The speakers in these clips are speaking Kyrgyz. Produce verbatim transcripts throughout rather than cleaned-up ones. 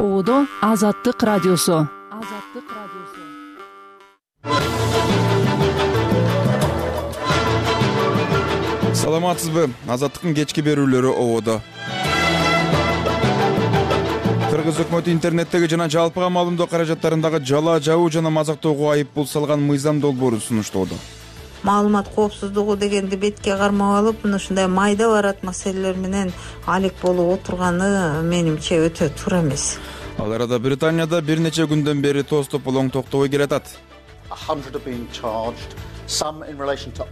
Оодо Азаттык радиосу. Азаттык радиосу. Саламатсызбы? Азаттыктын кечки берүүлөрү Оодо. Кыргыз өкмөтү интернеттеги жана жалпыга маалымдоо каражаттарындагы жала жабуу жана мазактоого айып пул салган мыйзам долбоорун сунуштоодо. Маалымат коопсуздугу дегенди бетке кармап алып, мына ушундай майда барат маселелер менен алек болуп отурганы менимче өтө туура эмес. Ал арада Британияда бир нече күндөн бери тостополоң полоң токтобой келатат.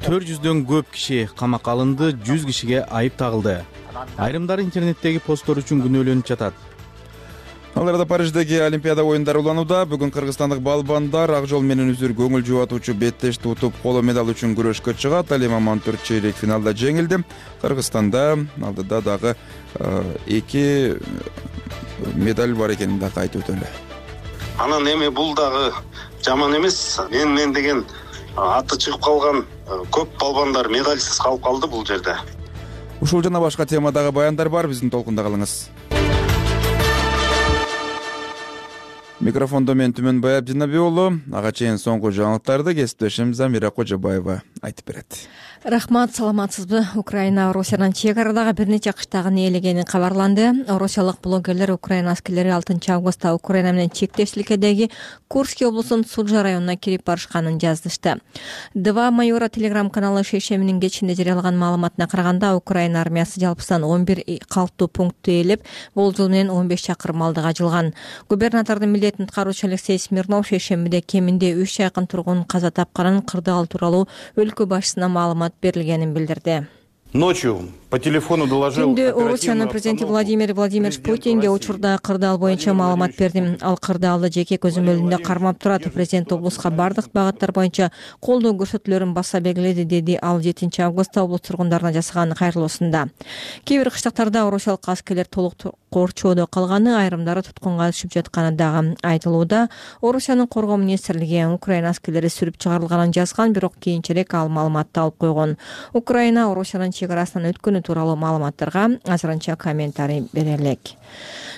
төрт жүздөн көп киши камакка алынды, жүз кишиге айып тагылды. Айрымдары интернеттеги посттор үчүн күнөөлөнүп жатат. Ал арада Париждеги Олимпиада оюндары уланууда. Бүгүн кыргызстандык балбандар ак жол менен үзүр көңүл жубатуучу беттешти утуп, коло медаль үчүн күрөшкө чыгат. Алима Мантур чейрек финалда жеңилди. Кыргызстанда алдыда дагы эки медаль бар экенин да кайтып өтөлү. Анан эми бул дагы жаман эмес. Мен мен деген аты чыгып калган көп балбандар медальсыз калып калды бул жерде. Ушул жана башка темадагы баяндар бар, биздин толкунда калыңыз. Микрофондо мен Түмөнбай Абдинаби уулу. Ага чейин соңку жаңылыктарды кесиптешим Замира Кожобаева айтып берет. Рахмат, саламатсызбы? Украина Орусиядан чек арадагы бир нече кыштагын ээлегени кабарланды. Орусиялык блогерлер Украина аскерлери алтынчы августта Украина менен чектештикедеги Курский облусунун Суджа районуна кирип барышканын жаздышты. Два майора телеграм каналы шейшеминин кечинде жарыялаган маалыматына караганда, Украина армиясы жалпысынан он бир калктуу пунктту ээлеп, болжол менен он беш чакырым алдыга жылган. Губернатордун милдетин аткаруучу Алексей Смирнов шейшембиде кеминде үч жакын тургун каза тапканын, кырдаал тууралуу өлкө башчысына маалымат берилгенин билдирди. Ночью по телефону доложил. Түндө Орусиянын президенти Владимир Владимирович Путинге учурда кырдаал боюнча маалымат бердим. Ал кырдаалды жеке көзүм өлүндө кармап турат. Президент облуска бардык багыттар боюнча колдоо көрсөтүүлөрүн баса белгиледи, деди ал жетинчи августта облус тургундарына жасаган кайрылуусунда. Кээ бир кыштактарда орусиялык аскерлер толук корчоодо калганы, айрымдары туткунга түшүп жатканы дагы айтылууда. Орусиянын коргоо министрлиги Украина аскерлери сүрүп чыгарылганын жазган, бирок кийинчерээк ал маалыматты алып койгон. Украина Орусиянын чек арасынан өткөнү тууралуу маалыматтарга азырынча комментарий бере элек.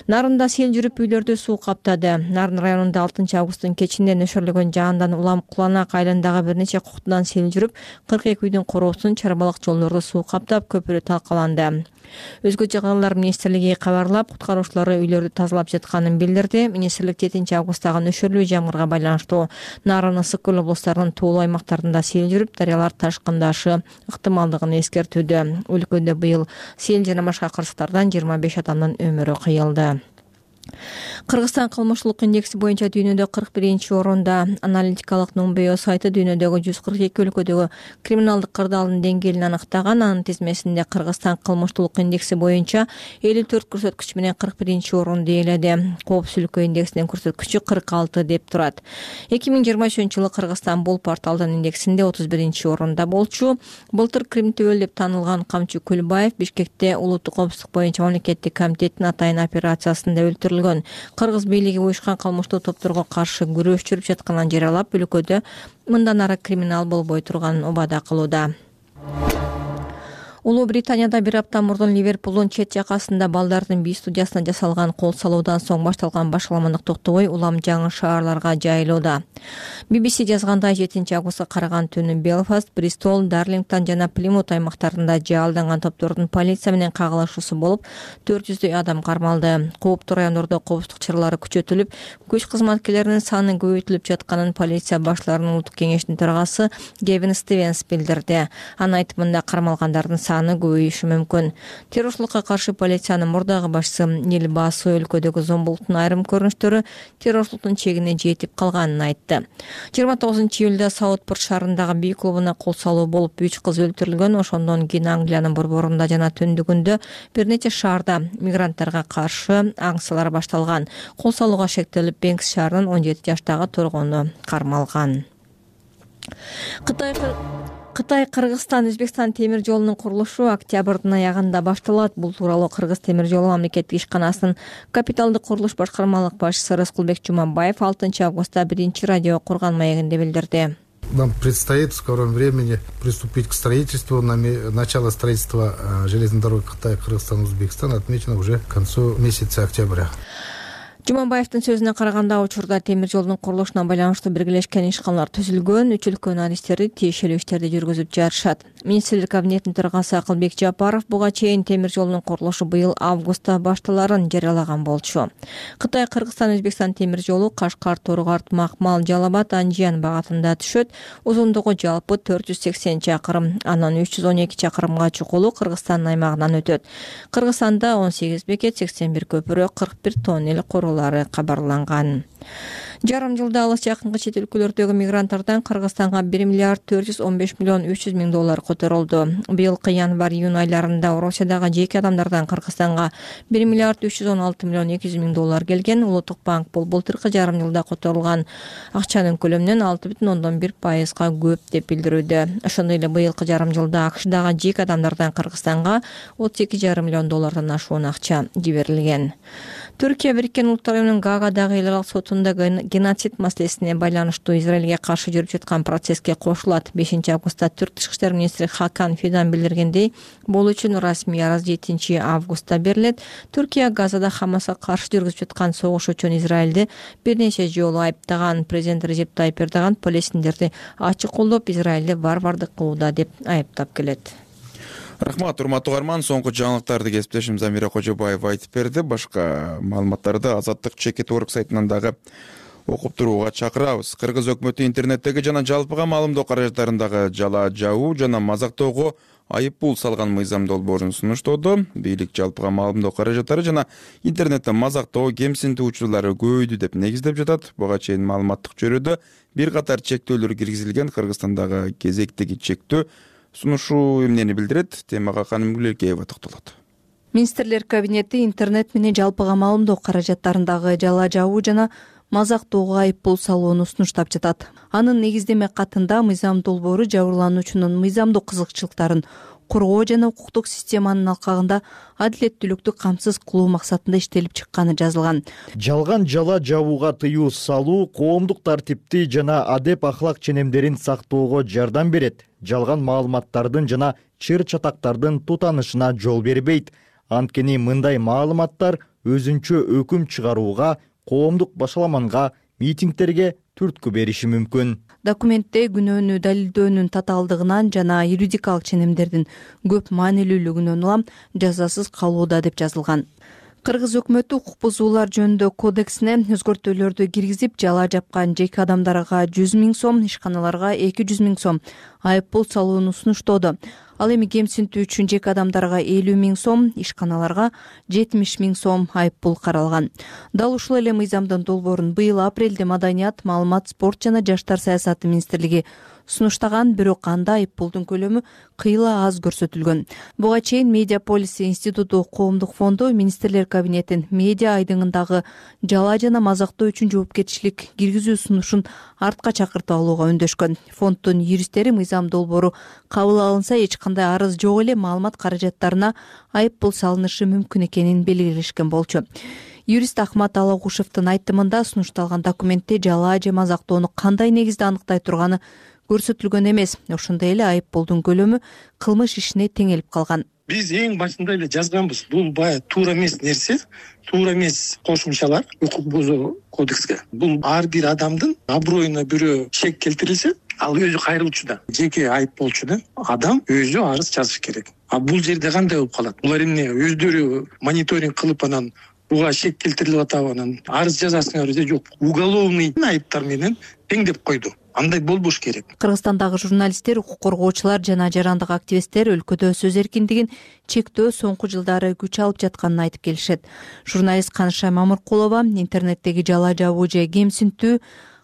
Нарында сел жүрүп үйлөрдү суу каптады. Нарын районунда алтынчы августтун кечинде нөшөрлөгөн жаандан улам Куланак айылындагы бир нече куктудан сел жүрүп, кырк эки үйдүн короосун, чарбалык жолдорду суу каптап, көпүрө талкаланды. Өзгө жагылар министрлиги кабарлап, куткаруучулары үйлөрдү тазалап жатканын билдирди. Министрлик жетинчи августтагы нөшөрлүү жамгырга байланыштуу Нарын, Ысык көл облустарынын тоолуу аймактарында сел жүрүп, дарыялар ташкындашы ыктымалдыгын эскертүүдө. Өлкөдө быйыл сел жана башка кырсыктардан жыйырма беш адамдын өмүрү кыйылды. Кыргызстан кылмыштуулук индекси боюнча дүйнөдө кырк биринчи орунда. Аналитикалык Нумбео сайты дүйнөдөгү жүз кырк эки өлкөдөгү криминалдык кырдаалдын деңгээлин аныктаган. Анын тизмесинде Кыргызстан кылмыштуулук индекси боюнча элүү төрт көрсөткүч менен кырк биринчи орунду ээледи. Коопсуздук индексинин көрсөткүчү кырк алты деп турат. эки миң жыйырма үчүнчү жылы Кыргызстан бул порталдын индексинде отуз биринчи орунда болчу. Былтыр Крим төбөл деп таанылган Камчы Күлбаев Бишкекте улуттук коопсуздук боюнча мамлекеттик комитеттин атайын операциясында өлтүрүлгөн. Кыргыз бийлиги уюшкан кылмыштуу топторго каршы күрөш жүрүп жатканын жарыялап, өлкөдө мындан ары криминал болбой турганын убада кылууда. Улуу Британияда бир апта мурдун Ливерпулдун чет жакасында балдардын би студиясына жасалган кол салуудан соң башталган башаламандык токтобой улам жаңы шаарларга жайылууда. би би си жазгандай, жетинчи августка караган түнү Белфаст, Бристол, Дарлингтон жана Плимут аймактарында жаалданган топтордун полиция менен кагылышуусу болуп, төрт жүздөй адам кармалды. Кооптуу райондордо коопсуздук чаралары күчөтүлүп, күч кызматкерлеринин саны көбөйтүлүп жатканын полиция башларынын улуттук кеңештин төрагасы Гевин Стивенс билдирди. Анын айтымында кармалгандардын саны көбөйүшү мүмкүн. Террорчулукка каршы полициянын мурдагы башчысы Нил Басу өлкөдөгү зомбулуктун айрым көрүнүштөрү террорчулуктун чегине жетип калганын айтты. жыйырма тогузунчу июлда Саутпорт шаарындагы би клубуна кол салуу болуп, үч кыз өлтүрүлгөн. Ошондон кийин Англиянын борборунда жана түндүгүндө бир нече шаарда мигранттарга каршы акциялар башталган. Кол салууга шектелип, Бенкс шаарынын он жети жаштагы тургуну кармалган. Кытай Кытай Кыргызстан Өзбекстан темир жолунун курулушу октябрдын аягында башталат. Бул тууралуу Кыргыз темир жолу мамлекеттик ишканасынын капиталдык курулуш башкармалык башчысы Рыскулбек Жумабаев алтынчы августта биринчи радио курган маегинде билдирди. Нам предстоит в скором времени приступить к строительству. Начало строительства железной дороги Китая, Кыргызстан, Узбекистан отмечено уже к концу месяца октября. Жумабаевдин сөзүнө караганда, учурда темир жолдун курулушуна байланыштуу биргелешкен ишканалар түзүлгөн, үч өлкөнүн адистери тиешелүү иштерди жүргүзүп жатышат. Министрлер кабинетинин төрагасы Акылбек Жапаров буга чейин темир жолдун курулушу быйыл августта башталарын жарыялаган болчу. Кытай, Кыргызстан, Өзбекстан темир жолу Кашкар, Торгарт, Макмал, Жалал-Абад, Анжиян багытында түшөт. Узундугу жалпы төрт жүз сексен чакырым, анан үч жүз он эки чакырымга чукулу Кыргызстандын аймагынан өтөт. Кыргызстанда он сегиз бекет, сексен бир көпүрө, кырк бир тоннель курулары кабарланган. Жарым жылда алыс жакынкы чет өлкөлөрдөгү мигранттардан Кыргызстанга бир миллиард төрт жүз он беш миллион үч жүз миң доллар которулду. Быйылкы январь-июнь айларында Орусиядагы жеке адамдардан Кыргызстанга бир миллиард үч жүз он алты миллион эки жүз миң доллар келген. Улуттук банк бул былтыркы жарым жылда которулган акчанын көлөмүнөн алты бүтүн ондон бир пайызга көп деп билдирүүдө. Ошондой эле быйылкы жарым жылда АКШдагы жеке адамдардан Кыргызстанга отуз эки жарым миллион доллардан ашуун акча жиберилген. Түркия Бириккен Улуттар уюмунун Гаагадагы эл аралык сотунда геноцид маселесине байланыштуу Израилге каршы жүрүп жаткан процесске кошулат. бешинчи августта Түрк тышкы иштер министри Хакан Фидан билдиргендей, бул үчүн расмий арыз жетинчи августта берилет. Түркия Газада Хамаска каршы жүргүзүп жаткан согуш үчүн Израилди бир нече жолу айыптаган. Президент Режеп Тайип Эрдоган палестиндерди ачык колдоп, Израилди варвардык кылууда деп айыптап келет. Рахмат, урматтуу угарман. Соңку жаңылыктарды кесиптешим Замира Кожобаева айтып берди. Башка маалыматтарды Азаттык чекит орг сайтынан дагы окуп турууга чакырабыз. Кыргыз өкмөтү интернеттеги жана жалпыга маалымдоо каражаттарындагы жала жабуу жана мазактоого айып пул салган мыйзам долбоорун сунуштоодо. Бийлик жалпыга маалымдоо каражаттары жана интернетте мазактоо, кемсинтүү учурлары көбөйдү деп негиздеп жатат. Буга чейин маалыматтык чөйрөдө бир катар чектөөлөр киргизилген. Кыргызстандагы кезектеги чектөө сунушу эмнени билдирет? Темага Ханым Гүлеркеева токтолот. Министрлер кабинети интернет менен жалпыга маалымдоо каражаттарындагы жала жабуу жана мазактоого айып пул салууну сунуштап жатат. Анын негиздеме катында мыйзам долбоору жабырлануучунун мыйзамдык кызыкчылыктарын коргоо жана укуктук системанын алкагында адилеттүүлүктү камсыз кылуу максатында иштелип чыкканы жазылган. Жалган жала жабууга тыюу салуу коомдук тартипти жана адеп ахлак ченемдерин сактоого жардам берет. Жалган маалыматтардын жана чыр чатактардын тутанышына жол бербейт. Анткени мындай маалыматтар өзүнчө өкүм чыгарууга, коомдук башаламанга, митингтерге түрткү бериши мүмкүн. Документте күнөөнү далилдөөнүн татаалдыгынан жана юридикалык ченемдердин көп маанилүүлүгүнөн улам жазасыз калууда деп жазылган. Кыргыз өкмөтү укук бузуулар жөнүндө кодексине өзгөртүүлөрдү киргизип, жала жапкан жеке адамдарга жүз миң сом, ишканаларга эки жүз миң сом айып пул салууну сунуштоодо. Ал эми кемсинтүү үчүн жеке адамдарга элүү миң сом, ишканаларга жетимиш миң сом айып пул каралган. Дал ушул эле мыйзамдын долбоорун быйыл апрелде Маданият, маалымат, спорт жана жаштар саясаты министрлиги сунуштаган, бирок анда айып пулдун көлөмү кыйла аз көрсөтүлгөн. Буга чейин Медиа полиси институту коомдук фонду министрлер кабинетин медиа айдыңындагы жала жана мазактоо үчүн жоопкерчилик киргизүү сунушун артка чакыртып алууга үндөшкөн. Фонддун юристтери мыйзам долбоору кабыл алынса эч кандай арыз жок эле маалымат каражаттарына айып пул салынышы мүмкүн экенин белгилешкен болчу. Юрист Ахмат Алагушевдин айтымында сунушталган документте жала же мазактоону кандай негизде аныктай турганы көрсөтүлгөн эмес. Ошондой эле айып пулдун көлөмү кылмыш ишине теңелип калган. Биз эң башында эле жазганбыз. Бул бая туура эмес нерсе, туура эмес кошумчалар укук бузуу кодекске. Бул ар бир адамдын аброюна бирөө шек келтирилсе, ал өзү кайрылуучу да, жеке айып болчу да, адам өзү арыз жазыш керек. А бул жерде кандай болуп калат? Булар эмне өздөрү мониторинг кылып анан буга шек келтирилип атабы, анан арыз жазасыңар же жок. Уголовный айыптар менен теңдеп койду. Андай болбош керек. Кыргызстандагы журналисттер, укук коргоочулар жана жарандык активисттер өлкөдө сөз эркиндигин чектөө соңку жылдары күч алып жатканын айтып келишет. Журналист Канышай Мамыркулова интернеттеги жала жабуу же кемсинтүү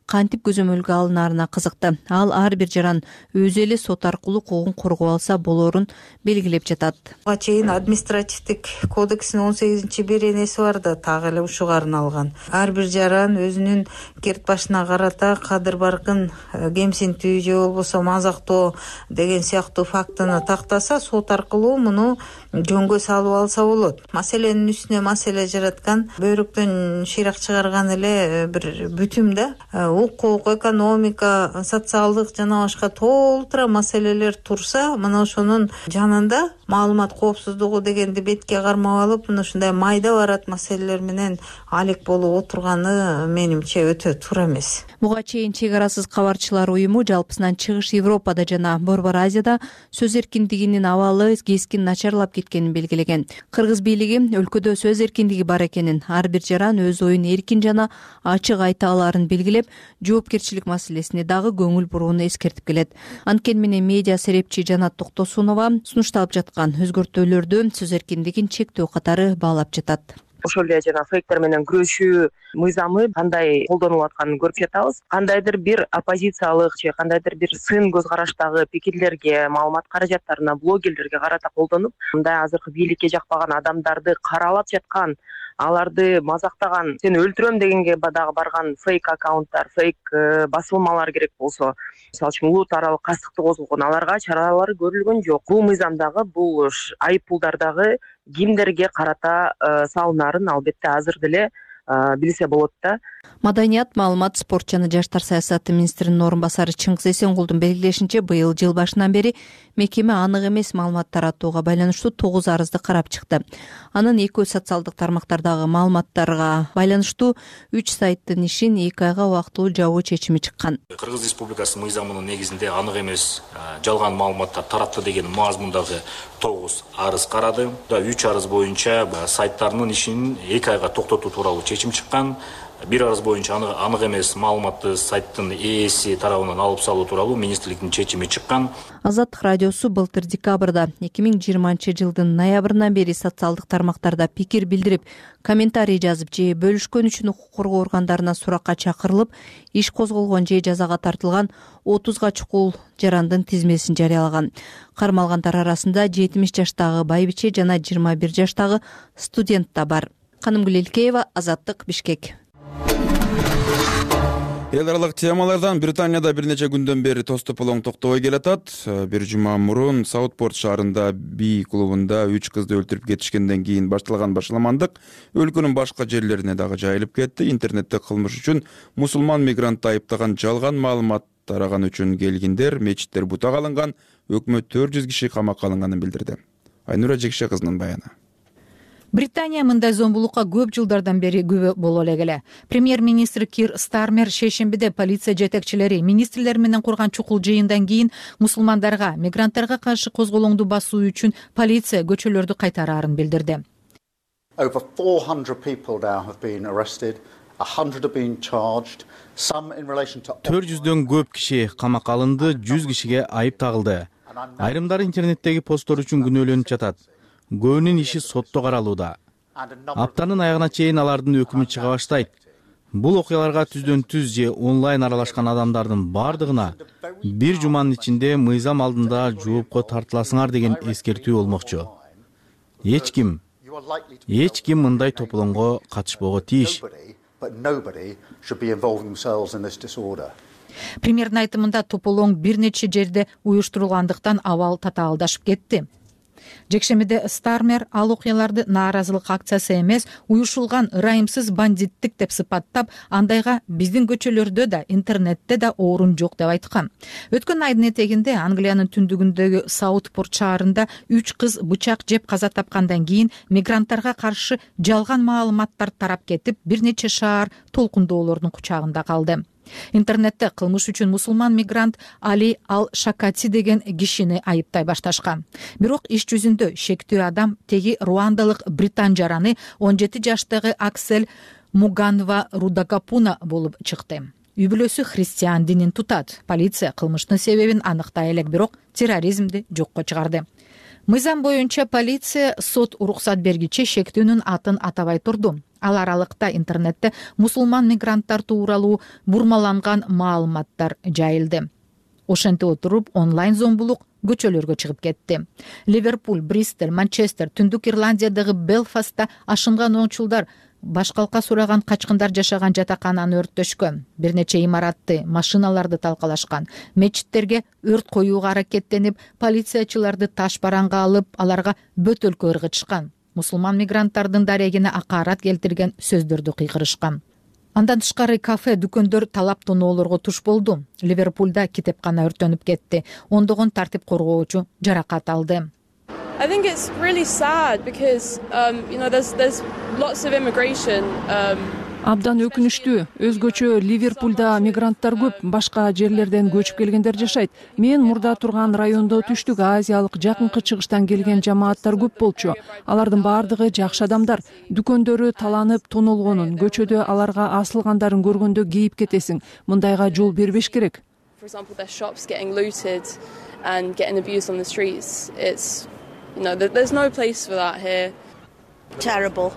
кантип көзөмөлгө алынарына кызыкты. Ал ар бир жаран өзү эле сот аркылуу укугун коргоо алса болоорун белгилеп жатат. Буга чейин административдик кодекстин он сегизинчи беренеси бар да, так эле ушуга арналган. Ар бир жаран өзүнүн керт башына карата кадыр баркын кемсинтүү же болбосо мазактоо деген сыяктуу фактыны тактаса, сот аркылуу муну жөнгө салып алса болот. Маселенин үстүнө маселе жараткан, бөйрөктөн шыйрак чыгарган эле бир бүтүм да. укук, экономика, социалдык жана башка толтура маселелер турса, мына ошонун жанында маалымат коопсуздугу дегенди бетке кармап алып, мына ушундай майда барат маселелер менен алек болуп отурганы менимче өтө туура эмес. Буга чейин Чек арасыз кабарчылар уюму жалпысынан Чыгыш Европада жана Борбор Азияда сөз эркиндигинин абалы кескин начарлап кеткенин белгилеген. Кыргыз бийлиги өлкөдө сөз эркиндиги бар экенин, ар бир жаран өз оюн эркин жана ачык айта алаарын белгилеп, жоопкерчилик маселесине дагы көңүл бурууну эскертип келет. Анткени менен медиа серепчи Жанат Токтосунова сунушталып жаткан өзгөртүүлөрдү сөз эркиндигин чектөө катары баалап жатат. Ошол эле жана фейктер менен күрөшүү мыйзамы кандай колдонулуп атканын көрүп жатабыз. Кандайдыр бир оппозициялык же кандайдыр бир сын көз караштагы пикирлерге, маалымат каражаттарына, блогерлерге карата колдонуп, мындай азыркы бийликке жакпаган адамдарды каралап жаткан, аларды мазактаган, сени өлтүрөм дегенге дагы барган фейк аккаунттар, фейк басылмалар керек болсо, мисалы үчүн улут аралык кастыкты козголгон, аларга чаралар көрүлгөн жок. Бул мыйзамдагы, бул айып пулдардагы кимдерге карата салынарын албетте азыр деле билсе болот да. Маданият, маалымат, спорт жана жаштар саясаты министринин орун басары Чыңгыз Эсенгулдун белгилешинче, быйыл жыл башынан бери мекеме анык эмес маалымат таратууга байланыштуу тогуз арызды карап чыкты. Анын экөө социалдык тармактардагы маалыматтарга байланыштуу үч сайттын ишин эки айга убактылуу жабуу чечими чыккан. Кыргыз Республикасы мыйзамынын негизинде анык эмес жалган маалыматтар таратты деген мазмундагы тогуз арыз карады. үч арыз боюнча сайттарынын ишин эки айга токтотуу тууралуу чечим чыккан. Бир арыз боюнча анык эмес маалыматты сайттын ээси тарабынан алып салуу тууралуу министрликтин чечими чыккан. Азаттык радиосу былтыр декабрда эки миң жыйырманчы жылдын ноябрынан бери социалдык тармактарда пикир билдирип, комментарий жазып же бөлүшкөн үчүн укук коргоо органдарына суракка чакырылып, иш козголгон же жазага тартылган отузга чукул жарандын тизмесин жарыялаган. Кармалгандар арасында жетимиш жаштагы байбиче жана жыйырма бир жаштагы студент да бар. Канымгүл Элкеева, Азаттык, Бишкек. Эл аралык темалардан Британияда бир нече күндөн бери тоз тополоң токтобой келатат. Бир жума мурун Саутпорт шаарында Би клубунда үч кызды өлтүрүп кетишкенден кийин башталган башаламандык өлкөнүн башка жерлерине дагы жайылып кетти. Интернетте кылмыш үчүн мусулман мигрантты айыптаган жалган маалымат тараган үчүн келгиндер, мечиттер бутак алынган, өкмөт төрт жүз киши камакка алынганын билдирди. Айнура Жекше кызынын баяны. Британия мындай зомбулукка көп жылдардан бери күбө боло эле. Премьер-министр Кир Стармер шейшембиде полиция жетекчилери министрлер менен курган чукул жыйындан кийин мусулмандарга, мигранттарга каршы козголоңду басуу үчүн полиция көчөлөрдү кайтараарын билдирди. Over four hundred people now have been arrested, one hundred have been charged, some in relation to төрт жүздөн көп киши камакка алынды, жүз кишиге айып тагылды. Айрымдары интернеттеги посттор үчүн күнөөлөнүп жатат. Көбүнүн иши сотто каралууда. Аптанын аягына чейин алардын өкүмү чыга баштайт. Бул окуяларга түздөн түз же онлайн аралашкан адамдардын бардыгына бир жуманын ичинде мыйзам алдында жоопко тартыласыңар деген эскертүү болмокчу. Эч ким, эч ким мындай тополоңго катышпого тийиш. Премьердин айтымында тополоң бир нече жерде уюштурулгандыктан абал татаалдашып кетти. Жекшемиде Стармер ал окуяларды нааразылык акциясы эмес, уюшулган ырайымсыз бандиттик деп сыпаттап, андайга биздин көчөлөрдө да, интернетте да орун жок деп айткан. Өткөн айдын этегинде Англиянын түндүгүндөгү Саутпорт шаарында үч кыз бычак жеп каза тапкандан кийин мигранттарга каршы жалган маалыматтар тарап кетип, бир нече шаар толкундоолордун кучагында калды. Интернетте кылмыш үчүн мусулман мигрант Али Ал-Шакати деген кишини айыптай башташкан. Бирок иш жүзүндө шектүү адам теги руандалык британ жараны он жети жаштагы Аксель Муганва Рудакапуна болуп чыкты. Үй бүлөсү христиан динин тутат. Полиция кылмыштын себебин аныктай элек, бирок терроризмди жокко чыгарды. Мыйзам боюнча полиция сот уруксат бергиче шектүүнүн атын атабай турду. Ал аралыкта интернетте мусулман мигранттар тууралуу бурмаланган маалыматтар жайылды. Ошентип отуруп онлайн зомбулук көчөлөргө чыгып кетти. Ливерпуль, Бристол, Манчестер, Түндүк Ирландиядагы Белфастта ашынган оңчулдар башкалка сураган качкындар жашаган жатакананы өрттөшкөн. Бир нече имаратты, машиналарды талкалашкан. Мечиттерге өрт коюуга аракеттенип, полициячыларды таш бараңга алып, аларга бөтөлкө ыргытышкан. Мусулман мигранттардын дарегине акарат келтирген сөздөрдү кыйкырышкан. Андан тышкары кафе, дүкөндөр талап тоноолорго туш болду. Ливерпулда китепкана өртөнүп кетти. Ондогон тартип коргоочу жаракат алды. I think it's really sad because um, you know there's there's lots of immigration. Um... Абдан өкүнүчтүү. Өзгөчө Ливерпулда мигранттар көп, башка жерлерден көчүп келгендер жашайт. Мен мурда турган райондо түштүк азиялык, жакынкы чыгыштан келген жамааттар көп болчу. Алардын баардыгы жакшы адамдар. Дүкөндөрү таланып, тонолгонун, көчөдө аларга асылгандарын көргөндө кейип кетесиң. Мындайга жол бербеш керек. For example, their shops getting looted and getting abused on the streets. It's you know there's no place for that here. Terrible.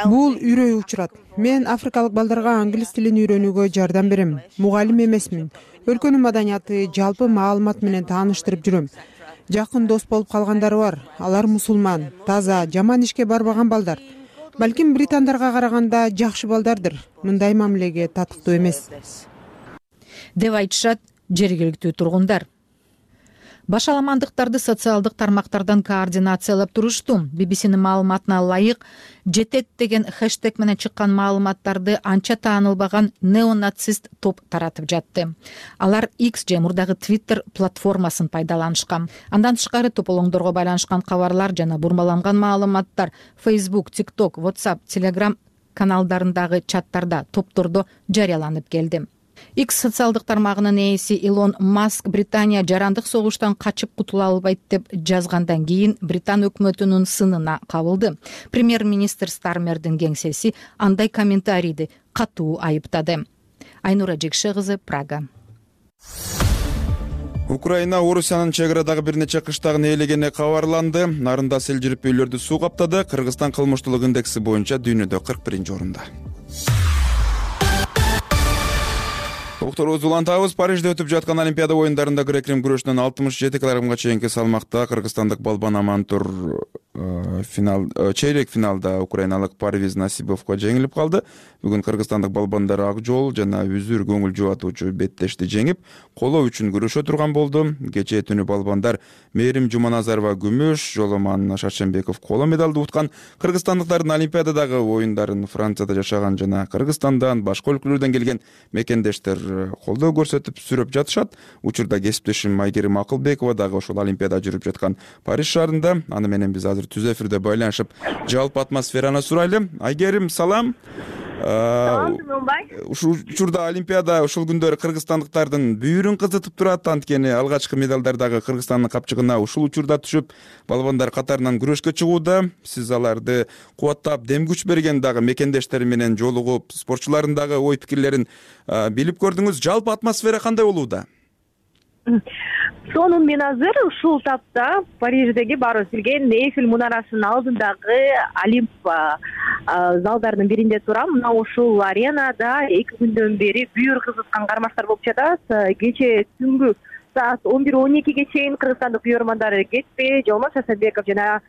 Бул үрөй учурат. Мен африкалык балдарга англис тилин үйрөнүүгө жардам берем. Мугалим эмесмин. Өлкөнүн маданияты, жалпы маалымат менен тааныштырып жүрөм. Жакын дос болуп калгандары бар. Алар мусулман, таза, жаман ишке барбаган балдар. Балким британдарга караганда жакшы балдардыр. Мындай мамилеге татыктуу эмес. Деп айтышат жергиликтүү тургундар. Башаламандыктарды социалдык тармактардан координациялап турушту. би би синин маалыматына ылайык, жетет деген хэштег менен чыккан маалыматтарды анча таанылбаган неонацист топ таратып жатты. Алар X же мурдагы Twitter платформасын пайдаланышкан. Андан тышкары тополоңдорго байланышкан кабарлар жана бурмаланган маалыматтар Facebook, TikTok, WhatsApp, Telegram каналдарындагы чаттарда, топтордо жарыяланып келди. X социалдык тармагынын ээси Илон Маск Британия жарандык согуштан качып кутула албайт деп жазгандан кийин Британ өкмөтүнүн сынына кабылды. Премьер-министр Стармердин кеңсеси андай комментарийди катуу айыптады. Айнура Жекше кызы, Прага. Украина Орусиянын чек арадагы бир нече кыштагын ээлегени кабарланды. Нарында сел жирип үйлөрдү суу каптады. Кыргызстан кылмыштуулук индекси боюнча дүйнөдө кырк биринчи орунда. Докторубуз улантабыз. Парижде өтүп жаткан Олимпиада оюндарында грек-рим күрөшүнөн алтымыш жети килограммга чейинки салмакта кыргызстандык балбан Амантур финал чейрек финалда украиналык Парвиз Насибовго жеңилип калды. Бүгүн кыргызстандык балбандар ак жол жана үзүр көңүл жубатуучу беттешти жеңип, коло үчүн күрөшө турган болду. Кечээ түнү балбандар Мээрим Жуманазарова күмүш, Жоломан Шаршембеков коло медалды уткан. Кыргызстандыктардын Олимпиададагы оюндарын Францияда жашаган жана Кыргызстандан, башка өлкөлөрдөн келген мекендештер колдоо көрсөтүп сүрөп жатышат. Учурда кесиптешим Айгерим Акылбекова дагы ошол Олимпиада жүрүп жаткан Париж шаарында. Аны менен биз азыр түз эфирде байланышып, жалпы атмосфераны сурайлы. Айгерим, салам. Салам, Жумбай. Ушул учурда Олимпиада ушул күндөрү кыргызстандыктардын бүйүрүн кызытып турат. Анткени алгачкы медалдар дагы Кыргызстандын капчыгына ушул учурда түшүп, балбандар катарынан күрөшкө чыгууда. Сиз аларды кубаттап, дем күч берген дагы мекендештери менен жолугуп, спортчулардын дагы ой пикирлерин билип көрдүңүз. Жалпы атмосфера кандай болууда? Сонун мен азыр ушул тапта Париждеги баарыбыз билген Эйфель мунарасынын алдындагы Олимп залдарынын биринде турам. Мына ушул аренада эки күндөн бери бүйүр кызыткан кармаштар болуп жатат. Кечээ түнгү саат он бир он экиге чейин кыргызстандык бүйөрмандар кетпей, Жолмон Шаршембеков жана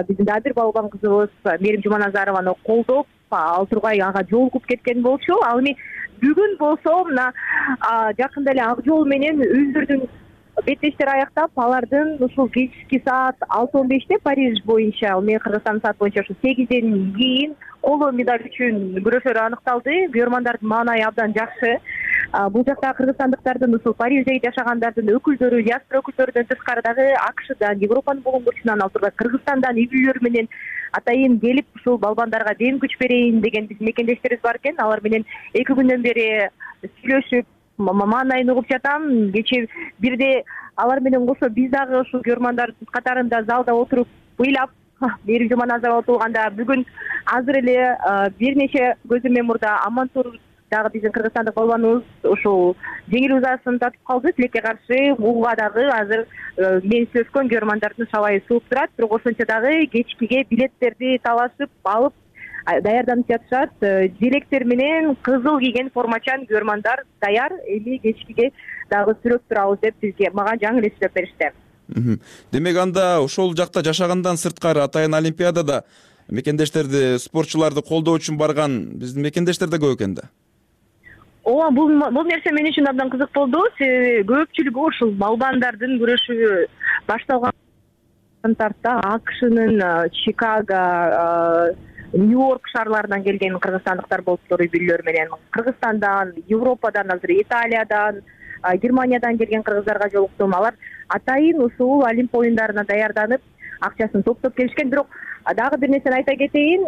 биздин дагы бир балбан кызыбыз Мээрим Жуманазарованы колдоп, ал тургай ага жолугуп кеткен болчу. Ал эми бүгүн болсо мына жакында эле ак жол менен өздөрүнүн беттештери аяктап, алардын ушул кечки саат алты он беште Париж боюнча, ал менен Кыргызстандын саат боюнча ушул сегизден кийин коло медаль үчүн күрөшөрү аныкталды. Бүйөрмандардын маанайы абдан жакшы. Бул жакта кыргызстандыктардын ушул Парижде жашагандардын өкүлдөрү, диаспора өкүлдөрүнөн тышкары дагы АКШдан, Европанын болгончусунан, ал тургай Кыргызстандан үй бүлөлөр менен атайын келип, ушул балбандарга дем күч берейин деген биздин мекендештерибиз бар экен. Алар менен эки күндөн бери сүйлөшүп, маанайын угуп жатам. Кечээ бирде алар менен кошо биз дагы ушул бүйөрмандар катарында залда отуруп ыйлап, Мээрим Жуманазарова отурганда бүгүн азыр эле бир нече көзөмө мурда Амантур дагы биздин кыргызстандык балбаныбыз ушул жеңил узаасын татып калды. Тилекке каршы буга дагы азыр мен сөзгөн бүйөрмандардын шабайы сууп турат. Бирок ошончо дагы кечкиге билеттерди талашып алып даярданып жатышат. Желектер менен кызыл кийген формачан бүйөрмандар даяр. Эми кечкиге дагы сүрөп турабыз деп бизге мага жаңы эле сүйлөп беришти. Демек анда ошол жакта жашагандан сырткары атайын Олимпиадада мекендештерди, спортчуларды колдоо үчүн барган биздин мекендештер да көп экен да. Ооба, бул бул нерсе мен үчүн абдан кызык болду. Көпчүлүгү ушул балбандардын күрөшү башталган тарта АКШнын Чикаго Нью-Йорк шаарларынан келген кыргызстандыктар болуптур, үй бүлөлөр менен. Кыргызстандан, Европадан, азыр Италиядан, Германиядан келген кыргыздарга жолуктум. Алар атайын ушул Олимп оюндарына даярданып, акчасын топтоп келишкен. Бирок дагы бир нерсени айта кетейин,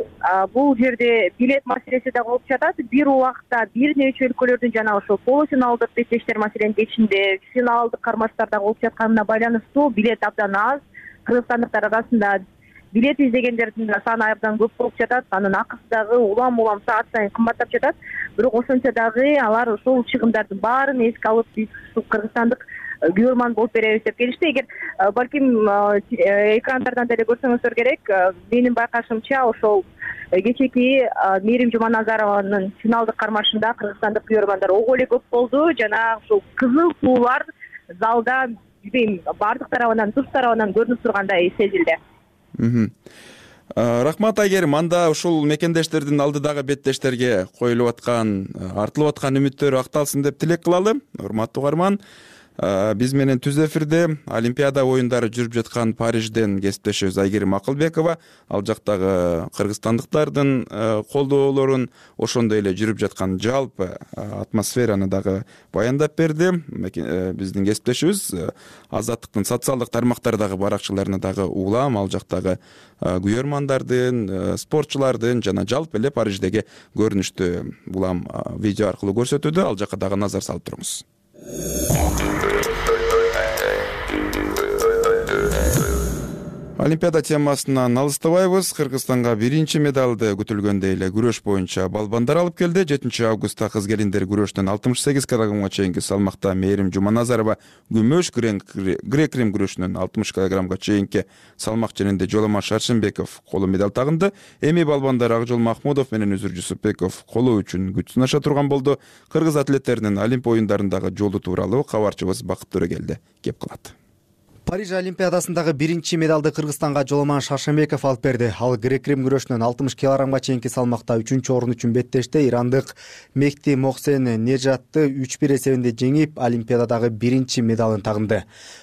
бул жерде билет маселеси да болуп жатат. Бир убакта бир нече өлкөлөрдүн жана ошол полуфиналдык беттештер, маселен кечинде финалдык кармаштарда болуп жатканына байланыштуу билет абдан аз. Кыргызстандыктар арасында билет издегендердин да саны абдан көп болуп жатат. Анын акысы дагы улам улам саат сайын кымбаттап жатат. Бирок ошончо дагы алар ошол чыгымдардын баарын эске алып, биз кыргызстандык күйөрман болуп беребиз деп келишти. Эгер балким экрандардан деле көрсөңүздөр керек, менин байкашымча ошол кечеки Мээрим Жуманазарованын финалдык кармашында кыргызстандык күйөрмандар ого эле көп болду. Жана ушул кызыл туулар залда билбейм баардык тарабынан, туш тарабынан көрүнүп тургандай сезилди. Рахмат Айгерим. Анда ушул мекендештердин алдыдагы беттештерге коюлуп аткан, артылып аткан үмүттөр акталсын деп тилек кылалы. Урматтуу угарман, биз менен түз эфирде Олимпиада оюндары жүрүп жаткан Парижден кесиптешибиз Айгерим Акылбекова ал жактагы кыргызстандыктардын колдоолорун, ошондой эле жүрүп жаткан жалпы атмосфераны дагы баяндап берди. Биздин кесиптешибиз Азаттыктын социалдык тармактардагы баракчаларына дагы улам ал жактагы күйөрмандардын, спортчулардын жана жалпы эле Париждеги көрүнүштү улам видео аркылуу көрсөтүүдө. Ал жакка дагы назар салып туруңуз. Олимпиада темасынан алыстабайбыз. Кыргызстанга биринчи медалды күтүлгөндөй эле күрөш боюнча балбандар алып келди. жетинчи августта кыз келиндер күрөштөн алтымыш сегиз килограммга чейинки салмакта Мээрим Жуманазарова күмөш, грек-рим күрөшүнөн алтымыш килограммга чейинки салмак ченинде Жоламан Шаршенбеков коло медаль тагынды. Эми балбандар Акжол Махмудов менен Үзүр Жусупбеков коло үчүн күч сынаша турган болду. Кыргыз атлеттеринин Олимп оюндарындагы жолу тууралуу кабарчыбыз Бакыт Төрөгелди кеп кылат. Париж Олимпиадасындагы биринчи медалды Кыргызстанга Жоламан Шаршенбеков алып берди. Ал грек-рим күрөшүнөн алтымыш килограммга чейинки салмакта үчүнчү орун үчүн беттеште ирандык Мехти Мохсен Нежатты үч бир эсебинде жеңип, Олимпиададагы биринчи медалын тагынды.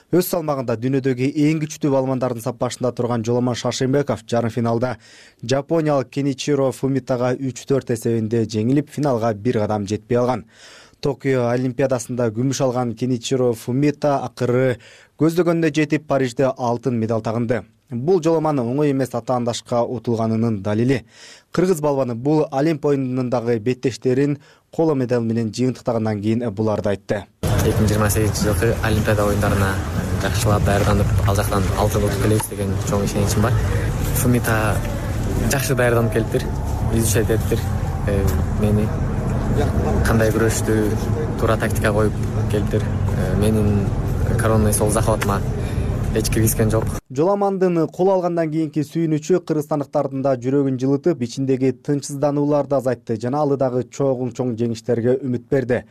Өз салмагында дүйнөдөгү эң күчтүү балбандардын саппашында турган Жоламан Шаршенбеков жарым финалда жапониялык Кеничиро Фумитага үч төрт эсебинде жеңилип, финалга бир кадам жетпей алган. Токио Олимпиадасында күмүш алган Кеничиро Фумита акыры көздөгөнүнө жетип, Парижде алтын медаль тагынды. Бул Жоламан оңой эмес атаандашка утулганынын далили. Кыргыз балбаны бул Олимп оюнундагы беттештерин коло медаль менен жыйынтыктагандан кийин буларды айтты. эки миң жыйырма сегизинчи жылкы Олимпиада оюндарына жакшылап даярданып, ал жактан алтын утуп келебиз деген чоң ишеничим бар. Фумита жакшы даярданып келиптир, изучать этиптир мени. Кандай күрөштү туура тактика коюп келиптир. Менин коронный сол захватыма эч киргизген жок. Жоламандын кол алгандан кийинки сүйүнүчү кыргызстандыктардын да жүрөгүн жылытып, ичиндеги тынчсызданууларды азайтты жана алдыдагы чоң чоң жеңиштерге үмүт берди.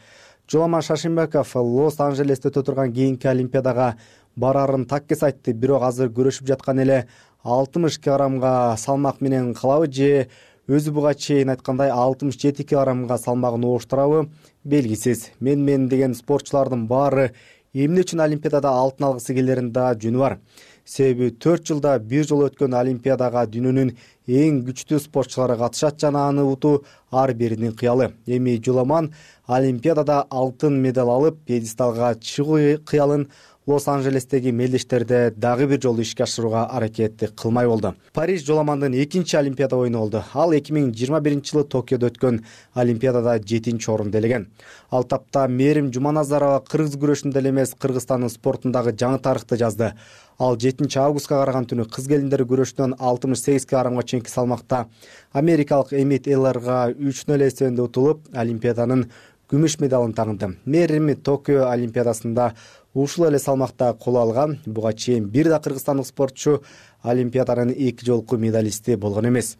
Жоламан Шаршенбеков Лос-Анжелесте өтө турган кийинки Олимпиадага барарын таккес айтты, бирок азыр күрөшүп жаткан эле алтымыш килограммга салмак менен калабы же өзү буга чейин айткандай алтымыш жети килограммга салмагын ооштурабы белгисиз. Мен мен деген спортчулардын баары эмне үчүн Олимпиадада алтын алгысы келерин да жөнү бар. Себеби төрт жылда бир жолу өткөн Олимпиадага дүйнөнүн эң күчтүү спортчулары катышат жана аны утуу ар биринин кыялы. Эми Жоламан Олимпиадада алтын медаль алып, пьедесталга чыгуу кыялын Лос-Анжелестеги мелдештерде дагы бир жолу ишке ашырууга аракет кылмай болду. Париж Жоламандын экинчи Олимпиада оюну болду. Ал эки миң жыйырма биринчи жылы Токиодо өткөн Олимпиадада жетинчи орунду ээлеген. Ал тапта Мээрим Жуманазарова кыргыз күрөшүндө эле эмес, Кыргызстандын спортундагы жаңы тарыхты жазды. Ал жетинчи августка караган түнү кыз келиндер күрөшүнөн алтымыш сегиз килограммга чейинки салмакта америкалык Эмит Эллерга үч нөл эсебинде утулуп, Олимпиаданын күмүш медалын тагынды. Мээрим Токио Олимпиадасында ушул эле салмакта кол алган. Буга чейин бир да кыргызстандык спортчу Олимпиаданын эки жолку медалисти болгон эмес.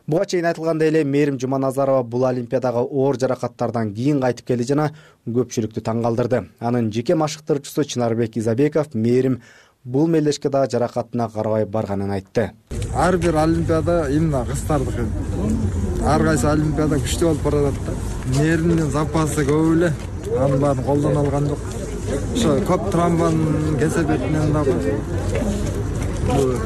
Буга чейин айтылгандай эле Мээрим Жуманазарова бул Олимпиадага оор жаракаттардан кийин кайтып келди жана көпчүлүктү таң калтырды. Анын жеке машыктыруучусу Чынарбек Изабеков Мээрим бул мелдешке да жаракатына карабай барганын айтты. Ар бир Олимпиада именно кыздардыкы. Ар кайсы Олимпиада күчтүү болуп баратат да. Мээримдин запасы көп эле. Анын баарын колдон алган жок. Ошо көп травманын кесепетинен дагы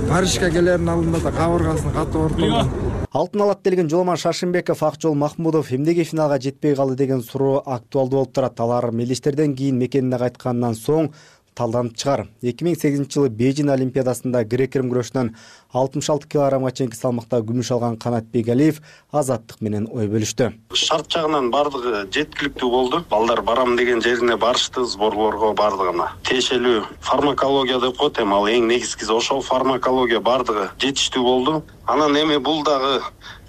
Парижге келерин алдында да кабыргасын катуу ортолгон. алтын алат делген Жоломан Шашимбеков, Акжол Махмудов эмнеге финалга жетпей калды деген суроо актуалдуу болуп турат. Алар мелдештерден кийин мекенине кайткандан соң талданып чыгар. эки миң сегизинчи жылы Бейжин Олимпиадасында грек-рим күрөшүнөн алтымыш алты килограммга чейинки салмакта күмүш алган Канат Бегалиев Азаттык менен ой бөлүштү. Шарт жагынан бардыгы жеткиликтүү болду. Балдар барам деген жерине барышты, сборлорго бардыгына. Тиешелүү фармакология деп коет, эми ал эң негизгиси ошол фармакология бардыгы жетиштүү болду. Анан эми бул дагы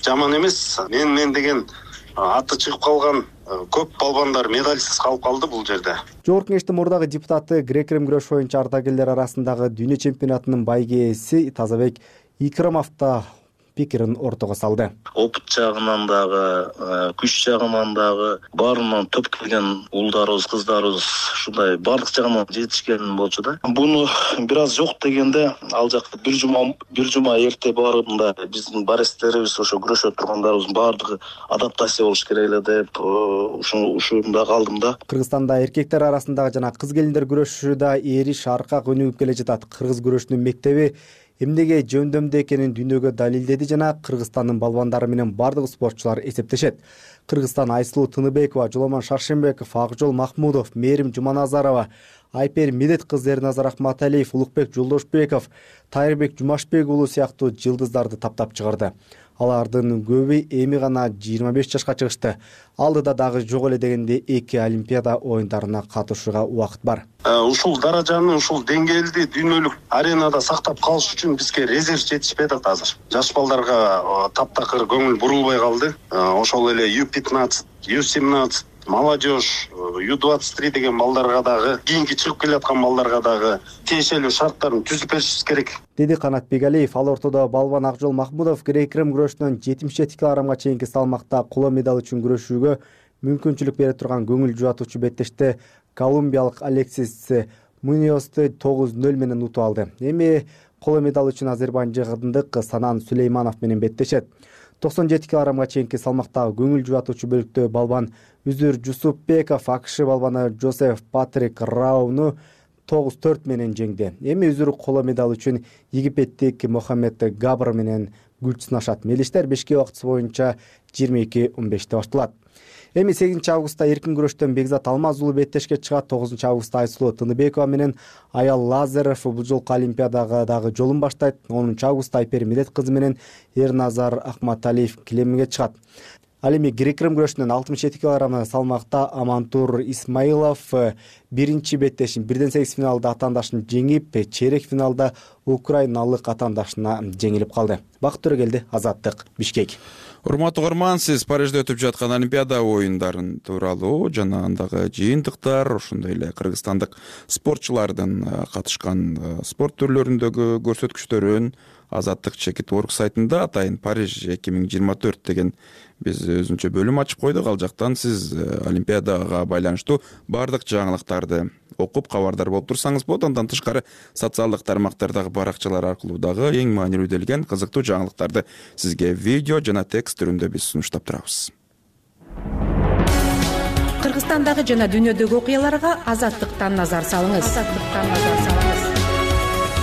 жаман эмес. Мен мен деген аты чыгып калган көп балбандар медальсыз калып калды бул жерде. Жогорку кеңештин мурдагы депутаты грек-рим күрөш боюнча ардагерлер арасындагы дүйнө чемпионатынын байгеси Тазабек Икрамов да пикирин ортого салды. Опыт жагынан дагы, күч жагынан дагы баарынан топ келген уулдарыбыз, кыздарыбыз ушундай бардык жагынан жетишкен болчу да. Буну бир аз жок дегенде ал жакка бир жума бир жума эрте барганда биздин баристерибиз, ошо күрөшө тургандарыбыздын баардыгы адаптация болуш керек эле деп ушуну ушунда калдым да. Кыргызстанда эркектер арасындагы жана кыз келиндер күрөшү да эриш аркак өнүгүп келе жатат. Кыргыз күрөшүнүн мектеби эмнеге жөндөмдүү экенин дүйнөгө далилдеди жана Кыргызстандын балбандары менен бардык спортчулар эсептешет. Кыргызстан Айсулуу Тыныбекова, Жоломан Шаршембеков, Акжол Махмудов, Мээрим Жуманазарова, Айпер Медет кызы Эрназар Акматалиев, Улукбек Жолдошбеков, Тайырбек Жумашбек уулу сыяктуу жылдыздарды таптап чыгарды. Алардын көбү эми гана жыйырма беш жашка чыгышты. Алдыда дагы жок эле дегенде эки Олимпиада оюндарына катышууга убакыт бар. Ушул даражаны, ушул деңгээлди дүйнөлүк аренада сактап калыш үчүн бизге резерв жетишпей атат азыр. Жаш балдарга таптакыр көңүл бурулбай калды. Ошол эле ю пятнадцать, ю семнадцать, молодежь, ю двадцать три деген балдарга дагы, кийинки чыгып келаткан балдарга дагы тиешелүү шарттарын түзүп беришибиз керек, деди Канат Бегалиев. Ал ортодо балбан Акжол Махмудов грек-рим күрөшүнөн жетимиш жети килограммга чейинки салмакта коло медаль үчүн күрөшүүгө мүмкүнчүлүк бере турган көңүл жубатуучу беттеште колумбиялык Алексис Муниосты тогуз нөл менен утуп алды. Эми коло медаль үчүн азербайжандык Санан Сулейманов менен беттешет. токсон жети килограммга чейинки салмактагы көңүл жубатуучу бөлүктө балбан Үзүр Жусупбеков АКШ балбаны Жозеф Патрик Рауну тогуз төрт менен жеңди. Эми Үзүр коло медаль үчүн египеттик Мохаммед Габр менен күч сынашат. Мелдештер бешке убактысы боюнча жыйырма эки он беште башталат. Эми сегизинчи августта эркин күрөштөн Бекзат Алмаз уулу беттешке чыгат. тогузунчу августта Айсулуу Тыныбекова менен Аял Лазаров бул жолку Олимпиадага дагы жолун баштайт. онунчу августта Айпер Медет кызы менен Эрназар Акматалиев килемге чыгат. Ал эми грек-рим күрөшүнөн алтымыш жети килограмм салмакта Амантур Исмаилов биринчи беттешин бирден сегиз финалда атаандашын жеңип, чейрек финалда украиналык атаандашына жеңилип калды. Бакыт Төрөгелди, Азаттык, Бишкек. Урматтуу угарман, сиз Парижде өтүп жаткан Олимпиада оюндарын тууралуу жана андагы жыйынтыктар, ошондой эле кыргызстандык спортчулардын катышкан спорт түрлөрүндөгү көрсөткүчтөрүн Азаттык Чекит Орг сайтында атайын Париж эки миң жыйырма төрт деген биз өзүнчө бөлүм ачып койдук. Ал жактан сиз Олимпиадага байланыштуу бардык жаңылыктарды окуп кабардар болуп турсаңыз болот. Андан тышкары социалдык тармактардагы баракчалар аркылуу дагы эң маанилүү делген кызыктуу жаңылыктарды сизге видео жана текст түрүндө биз сунуштап турабыз. Кыргызстандагы жана дүйнөдөгү окуяларга Азаттыктан назар салыңыз. Азаттыктан назар салыңыз.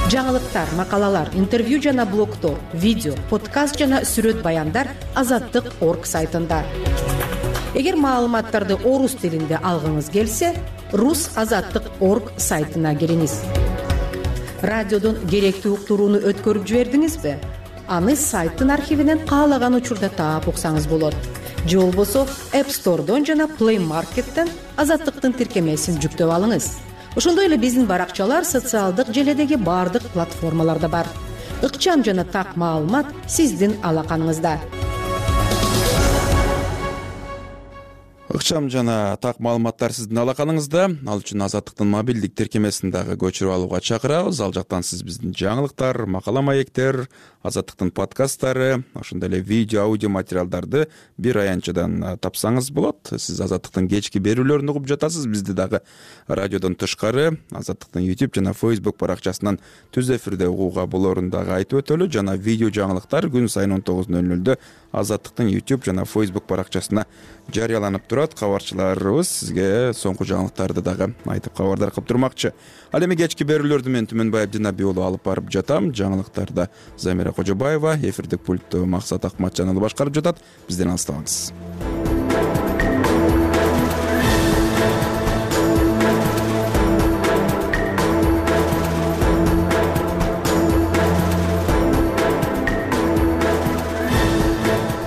Жаңылыктар, макалалар, интервью жана блогтор, видео, подкаст жана сүрөт баяндар Азаттык Орг сайтында. Эгер маалыматтарды орус тилинде алгыңыз келсе, Рус Азаттык Орг сайтына кириңиз. Радиодон керектүү уктурууну өткөрүп жибердиңизби? Аны сайттын архивинен каалаган учурда таап уксаңыз болот. Же болбосо App Store'дон жана Play Market'тен Азаттыктын тиркемесин жүктөп алыңыз. Ошондой эле биздин баракчалар социалдык желедеги бардык платформаларда бар. Ыкчам жана так маалымат сиздин алаканыңызда. Ыкчам жана так маалыматтар сиздин алаканыңызда. Ал үчүн Азаттыктын мобилдик тиркемесин дагы көчүрүп алууга чакырабыз. Ал жактан сиз биздин жаңылыктар, макала маектер, Азаттыктын подкасттары, ошондой эле видео, аудио материалдарды бир аянтчадан тапсаңыз болот. Сиз Азаттыктын кечки берүүлөрүн угуп жатасыз. Бизди дагы радиодон тышкары Азаттыктын YouTube жана Facebook баракчасынан түз эфирде угууга болоорун дагы айтып өтөлү. Жана видео жаңылыктар күн сайын он тогуз нөл нөлдө Азаттыктын YouTube жана Facebook баракчасына жарыяланып турат. Кабарчыларыбыз сизге соңку жаңылыктарды дагы айтып кабардар кылып турмакчы. Ал эми кечки берүүлөрдү мен Түмөнбаев Динабий уулу алып барып жатам. Жаңылыктарда Замира Кожобаева, эфирдик пультту Максат Акматжан уулу башкарып жатат. Бизден алыстабаңыз.